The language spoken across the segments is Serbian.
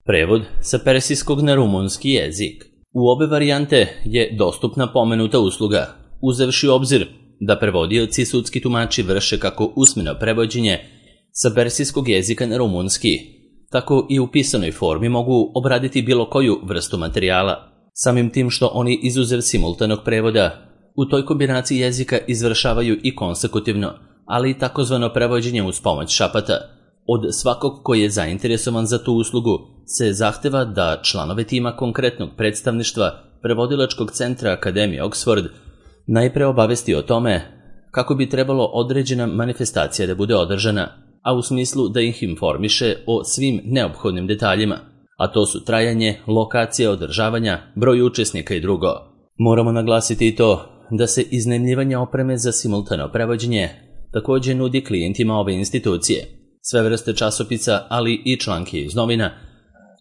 Prevod sa persijskog na rumunski jezik. U obe varijante je dostupna pomenuta usluga, uzevši u obzir da prevodioci i sudski tumači vrše kako usmeno prevođenje sa persijskog jezika na rumunski, tako i u pisanoj formi mogu obraditi bilo koju vrstu materijala. Samim tim što oni izuzev simultanog prevoda u toj kombinaciji jezika izvršavaju i konsekutivno, ali i takozvano prevođenje uz pomoć šapata. Od svakog koji je zainteresovan za tu uslugu se zahteva da članove tima konkretnog predstavništva prevodilačkog centra Akademije Oxford najpre obavesti o tome kako bi trebalo određena manifestacija da bude održana, a u smislu da ih informiše o svim neophodnim detaljima, a to su trajanje, lokacija održavanja, broj učesnika i drugo. Moramo naglasiti i to da se iznajmljivanje opreme za simultano prevođenje također nudi klijentima ove institucije. Sve vrste časopisa, ali i članke iz novina,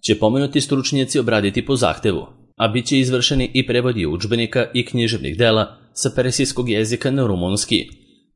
će pomenuti stručnjaci obraditi po zahtevu, a bit će izvršeni i prevodi udžbenika i književnih dela sa persijskog jezika na rumunski,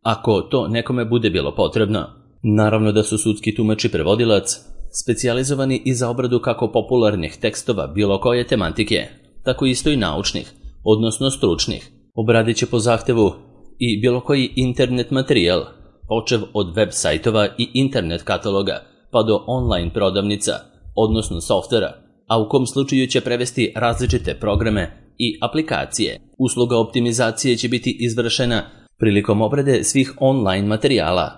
ako to nekome bude bilo potrebno. Naravno da su sudski tumač i prevodilac specijalizovani i za obradu kako popularnih tekstova bilo koje tematike, tako isto i naučnih, odnosno stručnih. Obradit će po zahtevu i bilo koji internet materijal, počev od web sajtova i internet kataloga, pa do online prodavnica, odnosno softvera, a u kom slučaju će prevesti različite programe i aplikacije. Usluga optimizacije će biti izvršena prilikom obrade svih online materijala,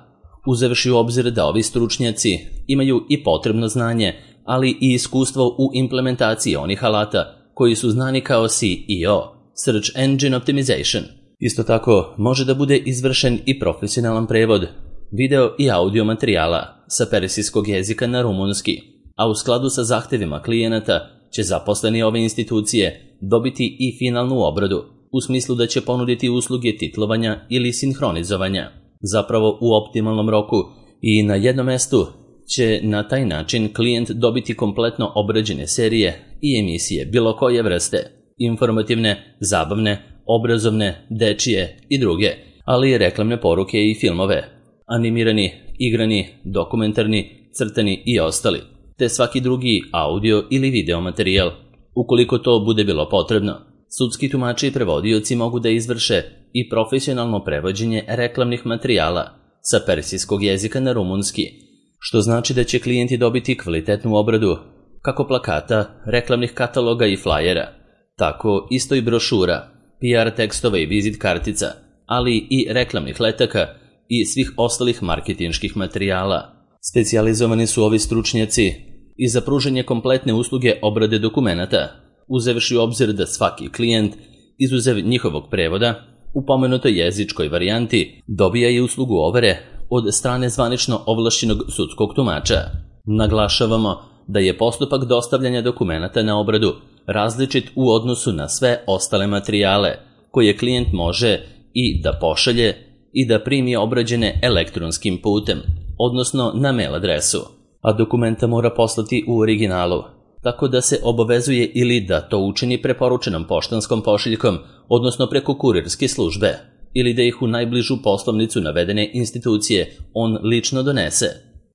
uzevši u obzir da ovi stručnjaci imaju i potrebno znanje, ali i iskustvo u implementaciji onih alata koji su znani kao SEO, Search Engine Optimization. Isto tako može da bude izvršen i profesionalan prevod video i audio materijala sa persijskog jezika na rumunski, a u skladu sa zahtevima klijenata će zaposleni ove institucije dobiti i finalnu obradu, u smislu da će ponuditi usluge titlovanja ili sinhronizovanja, zapravo u optimalnom roku, i na jednom mestu će na taj način klijent dobiti kompletno obrađene serije i emisije bilo koje vrste, informativne, zabavne, obrazovne, dečije i druge, ali i reklamne poruke i filmove, animirani, igrani, dokumentarni, crtani i ostali, te svaki drugi audio ili video materijal. Ukoliko to bude bilo potrebno, sudski tumači i prevodioci mogu da izvrše i profesionalno prevođenje reklamnih materijala sa persijskog jezika na rumunski, što znači da će klijenti dobiti kvalitetnu obradu kako plakata, reklamnih kataloga i flajera, tako isto i brošura, PR tekstova i vizit kartica, ali i reklamnih letaka i svih ostalih marketinških materijala. Specijalizovani su ovi stručnjaci i za pružanje kompletne usluge obrade dokumenata, uzevši u obzir da svaki klijent, izuzev njihovog prevoda, u pomenutoj jezičkoj varijanti dobija i uslugu overe od strane zvanično ovlašćenog sudskog tumača. Naglašavamo da je postupak dostavljanja dokumenata na obradu različit u odnosu na sve ostale materijale koje klijent može i da pošalje i da primi obrađene elektronskim putem, odnosno na mail adresu, a dokumenta mora poslati u originalu, tako da se obavezuje ili da to učini preporučenom poštanskom pošiljkom, odnosno preko kurirske službe, ili da ih u najbližu poslovnicu navedene institucije on lično donese.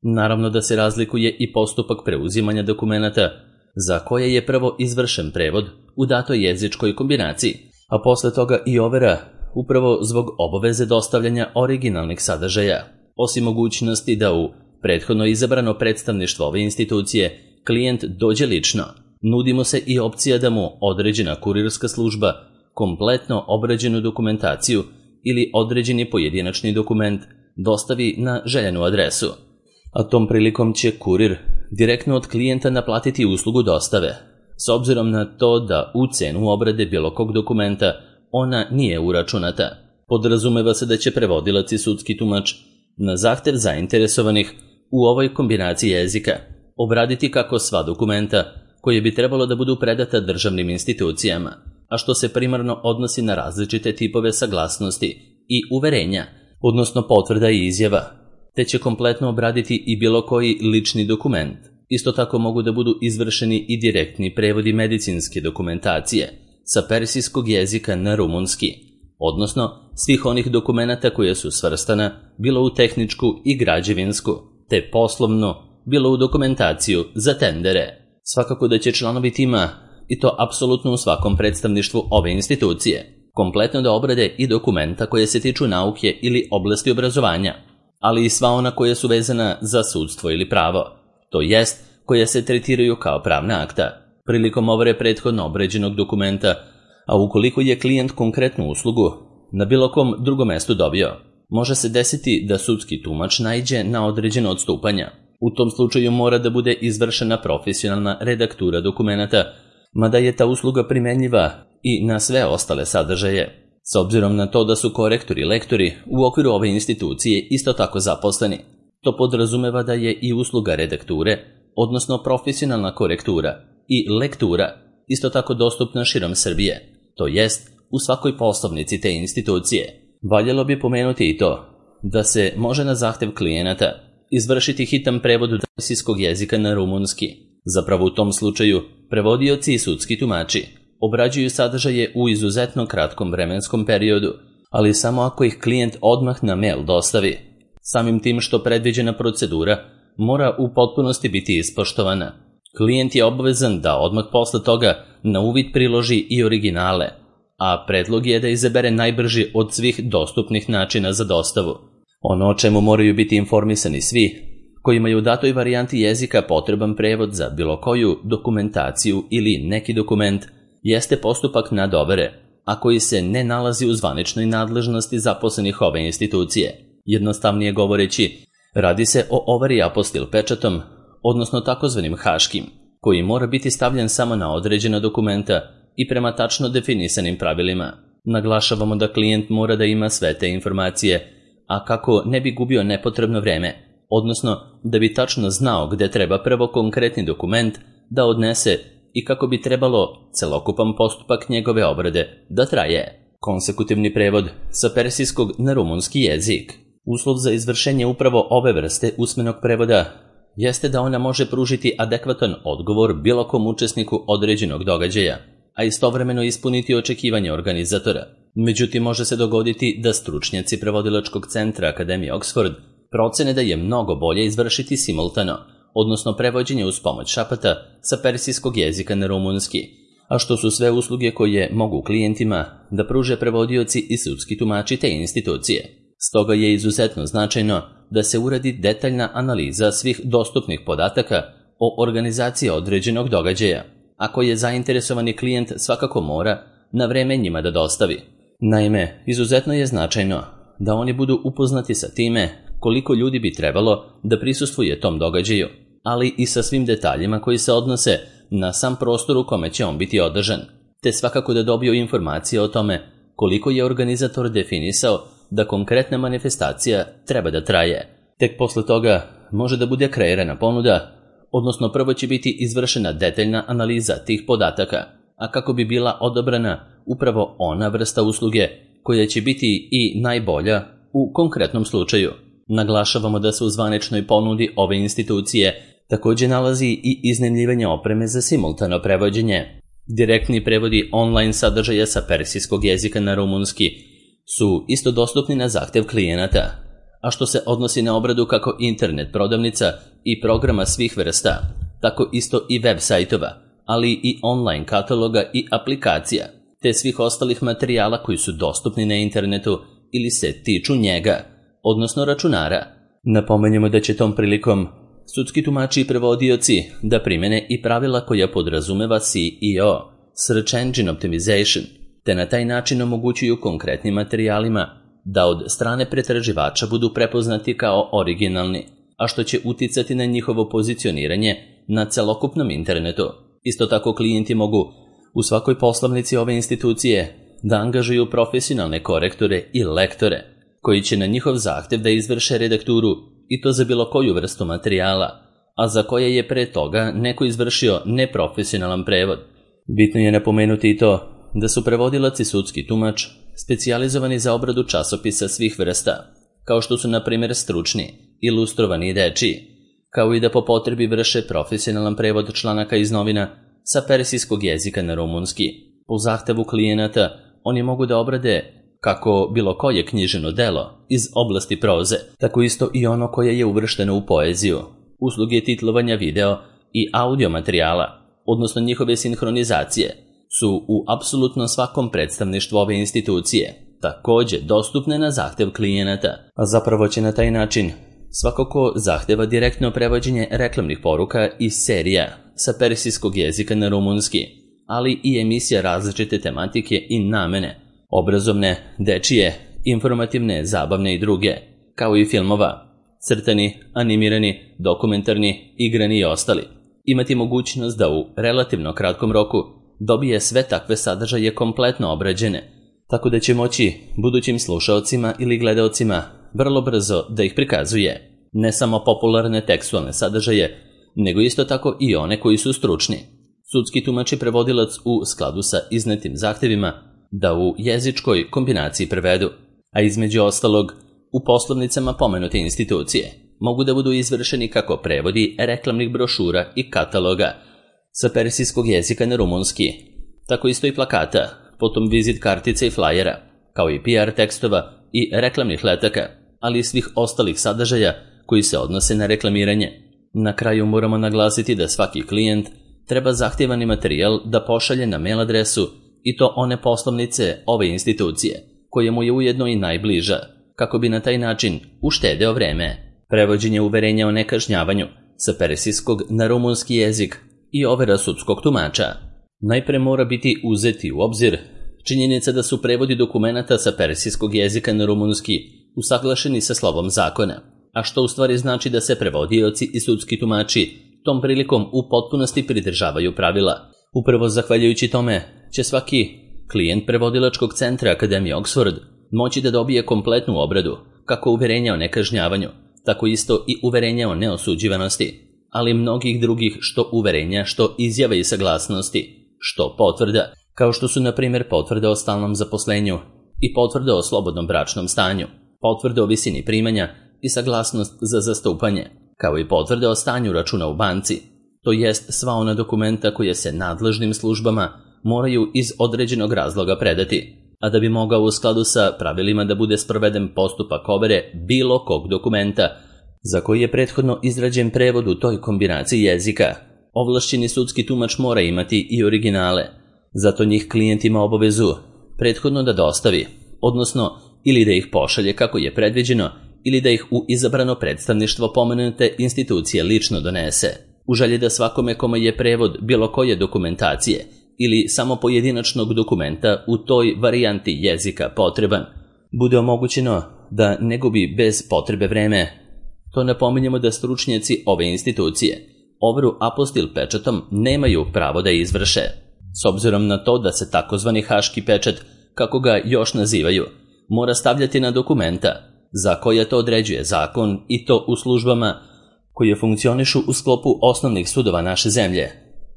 Naravno da se razlikuje i postupak preuzimanja dokumenata, za koje je prvo izvršen prevod u datoj jezičkoj kombinaciji, a posle toga i overa, upravo zbog obaveze dostavljanja originalnih sadržaja. Osim mogućnosti da u prethodno izabrano predstavništvo ove institucije klijent dođe lično, nudi mu se i opcija da mu određena kurirska služba kompletno obrađenu dokumentaciju ili određeni pojedinačni dokument dostavi na željenu adresu, a tom prilikom će kurir direktno od klijenta naplatiti uslugu dostave, s obzirom na to da u cenu obrade bilo kog dokumenta ona nije uračunata. Podrazumeva se da će prevodilac i sudski tumač na zahtev zainteresovanih u ovoj kombinaciji jezika obraditi kako sva dokumenta koje bi trebalo da budu predata državnim institucijama, a što se primarno odnosi na različite tipove saglasnosti i uverenja, odnosno potvrda i izjava, te će kompletno obraditi i bilo koji lični dokument. Isto tako mogu da budu izvršeni i direktni prevodi medicinske dokumentacije sa persijskog jezika na rumunski, odnosno svih onih dokumenata koje su svrstana bilo u tehničku i građevinsku, te poslovnu, bilo u dokumentaciju za tendere. Svakako da će članovi tima, i to apsolutno u svakom predstavništvu ove institucije, kompletno da obrade i dokumenta koje se tiču nauke ili oblasti obrazovanja, ali i sva ona koja su vezana za sudstvo ili pravo, to jest koja se tretiraju kao pravna akta. Prilikom overe prethodno obrađenog dokumenta, a ukoliko je klijent konkretnu uslugu na bilo kom drugom mestu dobio, može se desiti da sudski tumač naiđe na određeno odstupanja. U tom slučaju mora da bude izvršena profesionalna redaktura dokumenata, mada je ta usluga primenjiva i na sve ostale sadržaje. S obzirom na to da su korektori i lektori u okviru ove institucije isto tako zaposleni, to podrazumeva da je i usluga redakture, odnosno profesionalna korektura i lektura, isto tako dostupna širom Srbije, to jest u svakoj poslovnici te institucije. Valjalo bi pomenuti i to da se može na zahtev klijenata izvršiti hitan prevod persijskog jezika na rumunski. Zapravo u tom slučaju prevodioci i sudski tumači obrađuju sadržaje u izuzetno kratkom vremenskom periodu, ali samo ako ih klijent odmah na mail dostavi. Samim tim što predviđena procedura mora u potpunosti biti ispoštovana. Klijent je obavezan da odmah posle toga na uvid priloži i originale, a predlog je da izabere najbrži od svih dostupnih načina za dostavu. Ono o čemu moraju biti informisani svi kojima je u datoj varijanti jezika potreban prevod za bilo koju dokumentaciju ili neki dokument jeste postupak nadovere, a koji se ne nalazi u zvaničnoj nadležnosti zaposlenih ove institucije. Jednostavnije govoreći, radi se o overi apostil pečatom, odnosno takozvanim haškim, koji mora biti stavljen samo na određena dokumenta i prema tačno definisanim pravilima. Naglašavamo da klijent mora da ima sve te informacije, a kako ne bi gubio nepotrebno vreme, odnosno da bi tačno znao gde treba prvo konkretni dokument da odnese i kako bi trebalo celokupan postupak njegove obrade da traje. Konsekutivni prevod sa persijskog na rumunski jezik. Uslov za izvršenje upravo ove vrste usmenog prevoda jeste da ona može pružiti adekvatan odgovor bilo kom učesniku određenog događaja, a istovremeno ispuniti očekivanje organizatora. Međutim, može se dogoditi da stručnjaci prevodilačkog centra Akademije Oxford procene da je mnogo bolje izvršiti simultano, odnosno prevođenje uz pomoć šapata sa persijskog jezika na rumunski, a što su sve usluge koje mogu klijentima da pruže prevodioci i sudski tumači te institucije. Stoga je izuzetno značajno da se uradi detaljna analiza svih dostupnih podataka o organizaciji određenog događaja, a koje zainteresovani klijent svakako mora na vreme njima da dostavi. Naime, izuzetno je značajno da oni budu upoznati sa time koliko ljudi bi trebalo da prisustvuje tom događaju, ali i sa svim detaljima koji se odnose na sam prostor u kome će on biti održan, te svakako da dobiju informacije o tome koliko je organizator definisao da konkretna manifestacija treba da traje. Tek posle toga može da bude kreirana ponuda, odnosno prvo će biti izvršena detaljna analiza tih podataka, a kako bi bila odabrana upravo ona vrsta usluge koja će biti i najbolja u konkretnom slučaju. Naglašavamo da se u zvaničnoj ponudi ove institucije također nalazi i iznajmljivanje opreme za simultano prevođenje. Direktni prevodi online sadržaja sa persijskog jezika na rumunski su isto dostupni na zahtev klijenata, a što se odnosi na obradu kako internet prodavnica i programa svih vrsta, tako isto i web sajtova, ali i online kataloga i aplikacija, te svih ostalih materijala koji su dostupni na internetu ili se tiču njega, odnosno računara. Napomenjemo da će tom prilikom sudski tumači i prevodioci da primene i pravila koja podrazumeva SEO, Search Engine Optimization, te na taj način omogućuju konkretnim materijalima da od strane pretraživača budu prepoznati kao originalni, a što će uticati na njihovo pozicioniranje na celokupnom internetu. Isto tako klijenti mogu u svakoj poslovnici ove institucije da angažuju profesionalne korektore i lektore, koji će na njihov zahtev da izvrše redakturu i to za bilo koju vrstu materijala, a za koje je pre toga neko izvršio neprofesionalan prevod. Bitno je napomenuti i to da su prevodilac i sudski tumač specijalizovani za obradu časopisa svih vrsta, kao što su na primjer stručni, ilustrovani i dečiji, kao i da po potrebi vrše profesionalan prevod članaka iz novina sa persijskog jezika na rumunski. Po zahtevu klijenata oni mogu da obrade kako bilo koje književno delo iz oblasti proze, tako isto i ono koje je uvršteno u poeziju, usluge titlovanja video i audio materijala, odnosno njihove sinhronizacije, su u apsolutno svakom predstavništvu ove institucije također dostupne na zahtev klijenata, a zapravo će na taj način svako ko zahteva direktno prevođenje reklamnih poruka i serija sa persijskog jezika na rumunski, ali i emisija različite tematike i namene, obrazovne, dečije, informativne, zabavne i druge, kao i filmova, crtani, animirani, dokumentarni, igrani i ostali, imati mogućnost da u relativno kratkom roku dobije sve takve sadržaje kompletno obrađene, tako da će moći budućim slušaocima ili gledaocima vrlo brzo da ih prikazuje, ne samo popularne tekstualne sadržaje, nego isto tako i one koji su stručni. Sudski tumač i prevodilac u skladu sa iznetim zahtevima da u jezičkoj kombinaciji prevedu, a između ostalog u poslovnicama pomenute institucije mogu da budu izvršeni kako prevodi reklamnih brošura i kataloga sa persijskog jezika na rumunski, tako isto i plakata, potom vizit kartica i flajera, kao i PR tekstova i reklamnih letaka, ali i svih ostalih sadržaja koji se odnose na reklamiranje. Na kraju moramo naglasiti da svaki klijent treba zahtjevani materijal da pošalje na mail adresu i to one poslovnice ove institucije, koje mu je ujedno i najbliža, kako bi na taj način uštedeo vreme. Prevođenje uverenja o nekažnjavanju sa persijskog na rumunski jezik i overa sudskog tumača. Najpre mora biti uzeti u obzir činjenica da su prevodi dokumenata sa persijskog jezika na rumunski usaglašeni sa slovom zakona, a što u stvari znači da se prevodioci i sudski tumači tom prilikom u potpunosti pridržavaju pravila. Upravo zahvaljujući tome će svaki klijent prevodilačkog centra Akademije Oxford moći da dobije kompletnu obradu, kako uverenja o nekažnjavanju, tako isto i uverenja o neosuđivanosti, ali mnogih drugih što uverenja, što izjave i saglasnosti, što potvrda, kao što su na primjer potvrde o stalnom zaposlenju i potvrde o slobodnom bračnom stanju, potvrde o visini primanja i saglasnost za zastupanje, kao i potvrde o stanju računa u banci, to jest sva ona dokumenta koje se nadležnim službama moraju iz određenog razloga predati, a da bi mogao u skladu sa pravilima da bude sproveden postupak overe bilo kog dokumenta za koji je prethodno izrađen prevod u toj kombinaciji jezika, ovlašćeni sudski tumač mora imati i originale. Zato njih klijent ima obavezu prethodno da dostavi, odnosno ili da ih pošalje kako je predviđeno, ili da ih u izabrano predstavništvo pomenute institucije lično donese, u želji da svakome kome je prevod bilo koje dokumentacije ili samo pojedinačnog dokumenta u toj varijanti jezika potreban, bude omogućeno da ne gubi bez potrebe vreme. To napominjemo da stručnjaci ove institucije overu apostil pečatom nemaju pravo da izvrše, s obzirom na to da se takozvani haški pečat, kako ga još nazivaju, mora stavljati na dokumenta za koje to određuje zakon, i to u službama koje funkcionišu u sklopu osnovnih sudova naše zemlje.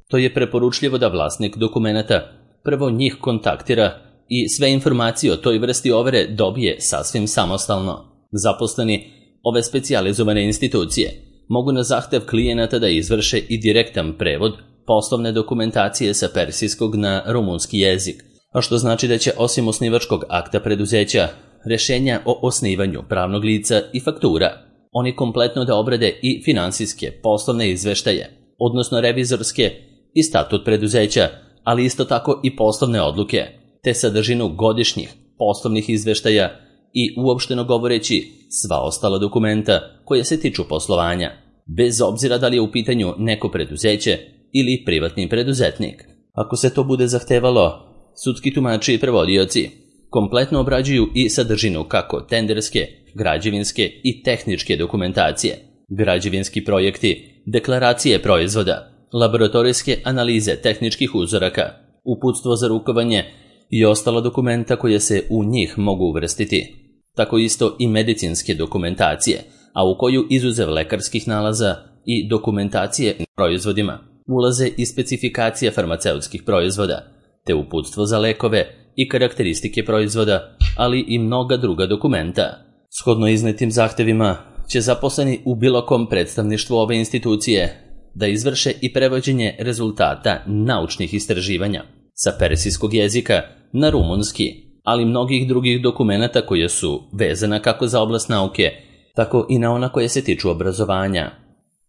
To je preporučljivo da vlasnik dokumenata prvo njih kontaktira i sve informacije o toj vrsti overe dobije sasvim samostalno. Zaposleni ove specijalizovane institucije mogu na zahtev klijenata da izvrše i direktan prevod poslovne dokumentacije sa persijskog na rumunski jezik, a što znači da će osim osnivačkog akta preduzeća, rješenja o osnivanju pravnog lica i faktura, oni kompletno da obrade i finansijske poslovne izveštaje, odnosno revizorske i statut preduzeća, ali isto tako i poslovne odluke, te sadržinu godišnjih poslovnih izveštaja i uopšteno govoreći sva ostala dokumenta koje se tiču poslovanja, bez obzira da li je u pitanju neko preduzeće ili privatni preduzetnik. Ako se to bude zahtevalo, sudski tumači i prevodioci kompletno obrađuju i sadržinu kako tenderske, građevinske i tehničke dokumentacije, građevinski projekti, deklaracije proizvoda, laboratorijske analize tehničkih uzoraka, uputstvo za rukovanje i ostala dokumenta koje se u njih mogu uvrstiti. Tako isto i medicinske dokumentacije, a u koju izuzev lekarskih nalaza i dokumentacije na proizvodima ulaze i specifikacija farmaceutskih proizvoda, te uputstvo za lekove i karakteristike proizvoda, ali i mnoga druga dokumenta. Shodno iznetim zahtevima će zaposleni u bilo kom predstavništvu ove institucije da izvrše i prevođenje rezultata naučnih istraživanja sa persijskog jezika na rumunski, ali mnogih drugih dokumenata koje su vezana kako za oblast nauke, tako i na ona koje se tiču obrazovanja.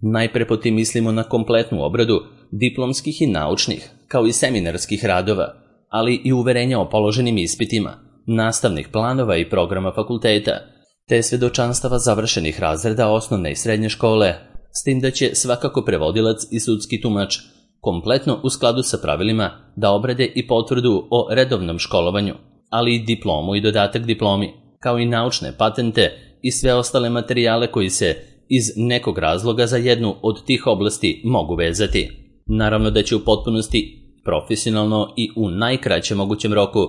Najpre po tim mislimo na kompletnu obradu diplomskih i naučnih, kao i seminarskih radova, ali i uverenja o položenim ispitima, nastavnih planova i programa fakulteta, te svedočanstava završenih razreda osnovne i srednje škole, s tim da će svakako prevodilac i sudski tumač kompletno u skladu sa pravilima da obrade i potvrdu o redovnom školovanju, ali i diplomu i dodatak diplomi, kao i naučne patente i sve ostale materijale koji se iz nekog razloga za jednu od tih oblasti mogu vezati. Naravno da će u potpunosti, profesionalno i u najkraćem mogućem roku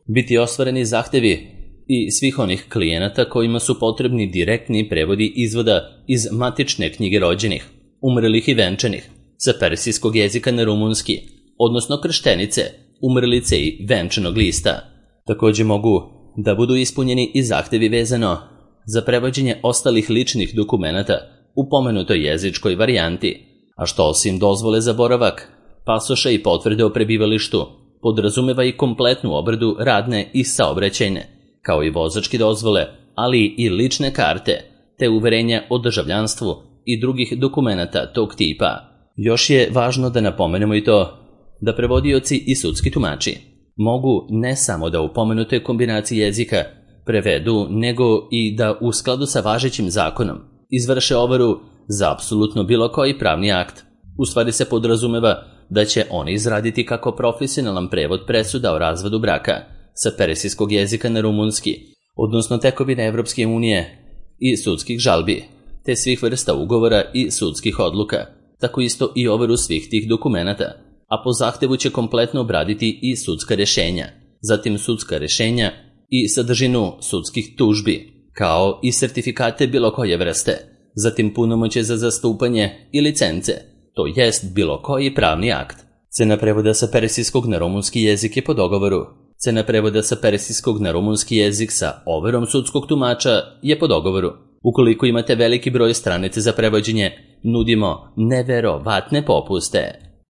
biti ostvareni zahtevi i svih onih klijenata kojima su potrebni direktni prevodi izvoda iz matične knjige rođenih, umrlih i venčanih, sa persijskog jezika na rumunski, odnosno krštenice, umrlice i venčanog lista. Također mogu da budu ispunjeni i zahtevi vezano za prevođenje ostalih ličnih dokumenata u pomenutoj jezičkoj varijanti, a što osim dozvole za boravak, pasoša i potvrde o prebivalištu, podrazumeva i kompletnu obradu radne i saobraćajne, kao i vozačke dozvole, ali i lične karte, te uverenja o državljanstvu i drugih dokumenata tog tipa. Još je važno da napomenemo i to da prevodioci i sudski tumači mogu ne samo da u pomenutoj kombinaciji jezika prevedu, nego i da u skladu sa važećim zakonom izvrše overu za apsolutno bilo koji pravni akt. U stvari se podrazumeva da će oni izraditi kako profesionalan prevod presuda o razvodu braka sa persijskog jezika na rumunski, odnosno tekovine Evropske unije i sudskih žalbi, te svih vrsta ugovora i sudskih odluka, tako isto i overu svih tih dokumenata, a po zahtevu će kompletno obraditi i sudska rješenja, zatim sudska rješenja i sadržinu sudskih tužbi, kao i sertifikate bilo koje vrste, zatim punomoćje za zastupanje i licence, to jest bilo koji pravni akt. Cena prevoda sa persijskog na rumunski jezik je po dogovoru. Cena prevoda sa persijskog na rumunski jezik sa overom sudskog tumača je po dogovoru. Ukoliko imate veliki broj stranica za prevođenje, nudimo neverovatne popuste.